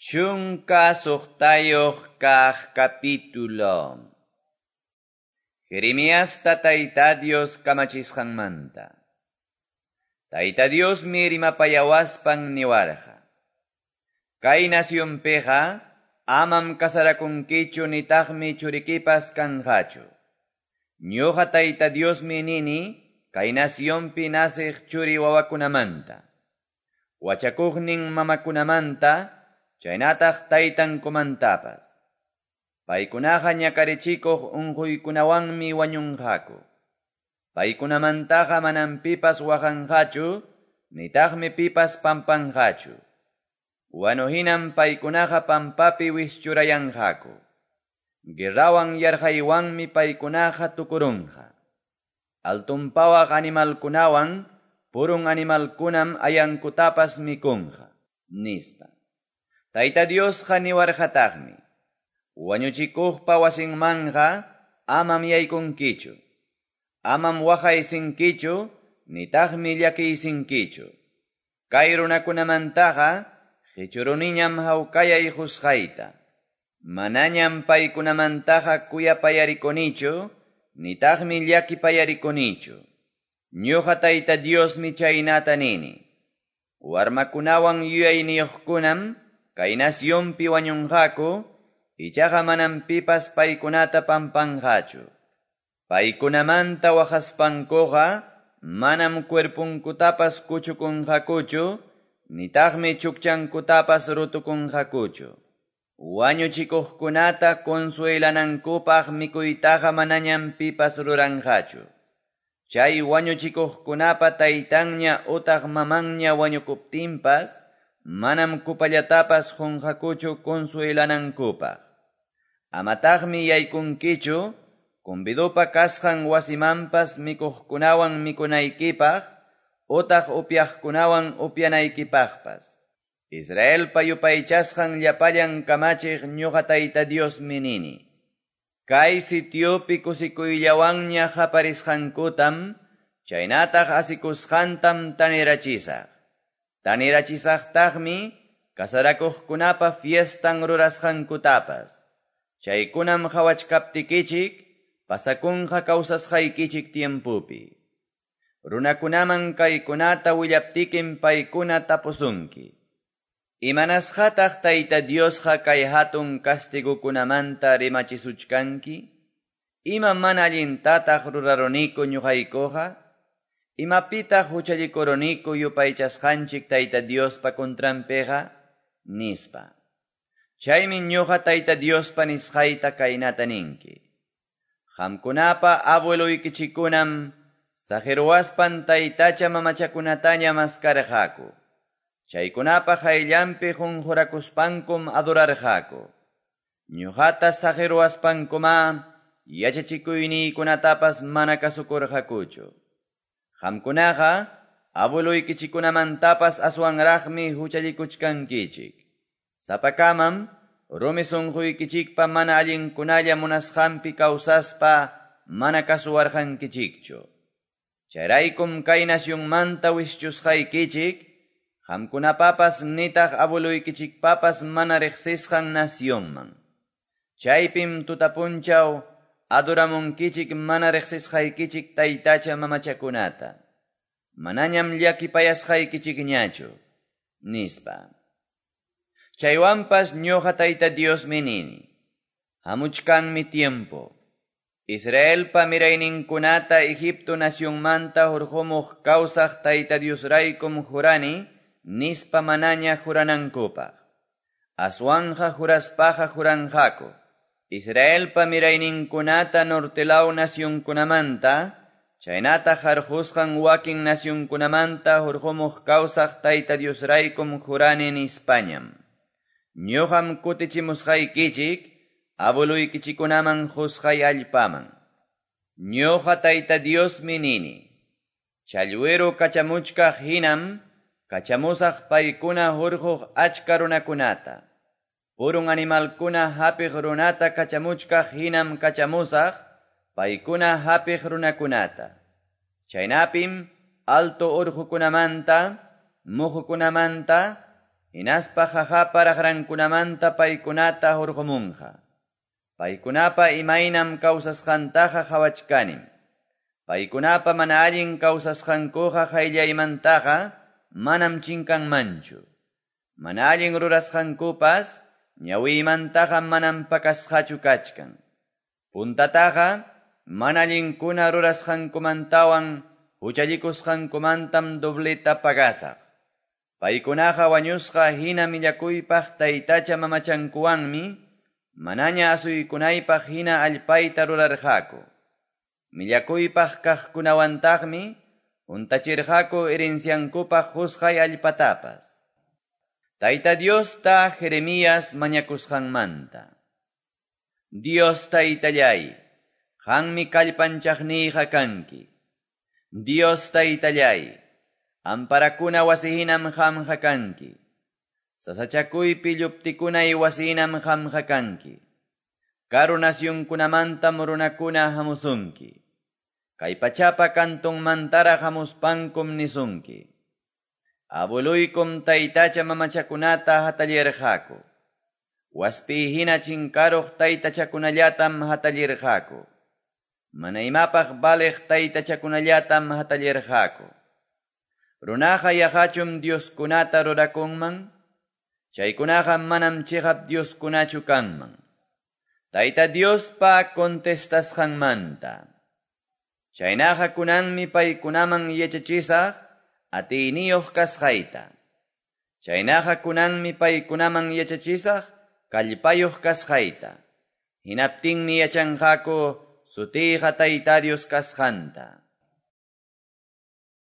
16 kaq capítulo. Jeremiasta Tayta Dios kamachisqanmanta. Tayta Diosmi rimapayawaspan niwarqa: Kay nacionpiqa amam casarakunkichu nitaqmi churikipas kanqachu. Ñuqa Tayta Diosmi nini kay nacionpi naciq churi wawakunamanta, wachakuqnin mamakunamanta, chaynataq taytankumantapas. Paykunaqa ñakarichikuq unquykunawanmi wañunqaku. Paykunamantaqa manam pipas waqanqachu, nitaqmi pipas pampanqachu. Wanuhinam paykunaqa pampapi wischurayanqaku. Guerrawan yarqaywanmi paykunaqa tukurunqa. Altunpawaq animalkunawan purun animalkunam ayankutapas mikunqa, nispa. Tayta Diosqa niwarqataqmi: Wañuchikuqpa wasinmanqa amam yaykunkichu, amam waqaysinkichu, nitaqmi llakiysinkichu. Kay runakunamantaqa qichuruniñam hawkayay qusqayta. Manañam paykunamantaqa kuyapayarikunichu, nitaqmi llakipayarikunichu. Ñuqa Tayta Diosmi chaynata nini. Warmakunawan yuyayniyuqkunam kay nacionpi wañunqaku, ichaqa manam pipas paykunata pampanqachu. Paykunamanta waqaspankuqa manam cuerpunkutapas kuchukunqakuchu, nitaqmi chukchankutapas rutukunqakuchu. Wañuchikuqkunata consuelanankupaq mikuytaqa manañam pipas ruranqachu. Chay wañuchikuqkunapa taytanña utaq mamanña wañukuptinpas, manam kupallatapas qunqakuchu consuelanankupaq. Amataqmi yaykunkichu convidopa kasqan wasimanpas mikuqkunawan mikunaykipaq, utaq upyaqkunawan upyanaykipaqpas. Israelpa yupaychasqan llapallan kamachiq ñuqa Tayta Diosmi nini: Kay sitiopi kusikuyllawanña qaparisqankutam, chaynataq asikusqantam tanirachisaq. Tanirachisaqtaqmi casarakuqkunapa fiestan rurasqankutapas. Chaykunam qawachkaptikichik pasakunqa kawsasqaykichik tiempopi. Runakunaman kaykunata willaptikim paykuna tapusunki: Imanasqataq Tayta Diosqa kay hatun castigukunamanta rimachisuchkanki? Ima mana allintataq ruraruniku ñuqaykuqa? Imapitaq huchallikuruniku yupaychasqanchik Tayta Diospa contranpiqa? Nispa. Chaymi ñuqa Tayta Diospa nisqayta kaynata ninki: Qamkunapa abueloykichikkunam saqiruwaspan taytacha mamachakunataña maskarqaku. Chaykunapa qayllanpi qunqurakuspankum adorarqaku. Ñuqata saqiruwaspankumá yachachikuyniykunatapas mana kasukurqakuchu. Qamkunaqa abueloykichikkunamantapas aswanraqmi huchallikuchkankichik. Sapakamam rumi sunquykichikpa mana allinkunalla munasqanpi kawsaspa mana kasuwarqankichikchu. Chayraykum kay nacionmanta wischusqaykichik, qamkunapapas nitaq abueloykichikpapas mana riqsisqan nacionman. Chaypim tutapunchaw adoramunkichik mana riqsisqaykichik taytacha mamachakunata. Manañam llakipayasqaykichikñachu, nispa. Chaywanpas ñuqa Tayta Diosmi nini: Hamuchkanmi tiempo. Israelpa mirayninkunata Egipto nacionmanta hurqumuq kawsaq Tayta Diosraykum jurani, nispa manaña juranankupaq. Aswanja juraspaqa juranqaku. Israelpa mirayninkunata nortelaw nacionkunamanta, chaynataq harqusqan wakin nacionkunamanta hurqumuq kawsaq Tayta Diosraykum jurani nispañam. Ñuqam kutichimusqaykichik abueluykichikkunaman qusqay allpaman. Ñuqa Tayta Diosmi nini: Challwiru kachamuchkaq hinam kachamusaq paykuna hurquq achka runakunata. Purun animalkuna hapiq runata kachamuchkaq hinam kachamusaq paykuna hapiq runakunata. Chaynapim alto urqukunamanta, muhukunamanta, hinaspa qaqapa raqrankunamanta paykunata hurqumunqa. Paykunapa imaynam kawsasqantaqa qawachkanim. Paykunapa mana allin kawsasqankuqa qayllaymantaqa manam chinkanmanchu. Mana allin rurasqankupas ñawiymantaqa manam pakasqachu kachkan. Puntataqa mana allinkuna rurasqankumantawan huchallikusqankumantam dobleta pagasaq. Paykunaqa wañusqa hina millakuypaq taytacha mamachankuwanmi manaña asuykunaypaq hina allpayta rurarqaku. Millakuypaq kaqkunawantaqmi huntachirqaku herenciankupaq qusqay allpatapas. Tayta Diosta Jeremías mañakusqanmanta. Dios taytallay, qanmi kallpanchaqniyqa kanki. Dios taytallay, amparakuna wasihinam qamqa kanki. Sasachakuypi lluptikunay wasihinam qamqa kanki. Karu nasyunkunamantam runakuna hamusunki. Kay pachapa kantunmantaraq hamuspankum nisunki. Abueluykum taytacha mamachakunata hatallirqaku. Waspi hina chinkaruq taytachakunallatam hatallirqaku. Mana imapaq baliq taytachakunallatam hatallirqaku. Runaqa yaqachum Dioskunata rurakunman, chaykunaqa manam chiqap Dioskunachu kanman. Tayta Diospa contestasqanmanta. Chaynaqa kunanmi paykunaman yachachisaq atiyniyuq kasqayta. Chaynaqa kunanmi paykunaman yachachisaq kallpayuq kasqayta. Hinaptinmi yachanqaku sutiyqa Tayta Dios kasqanta.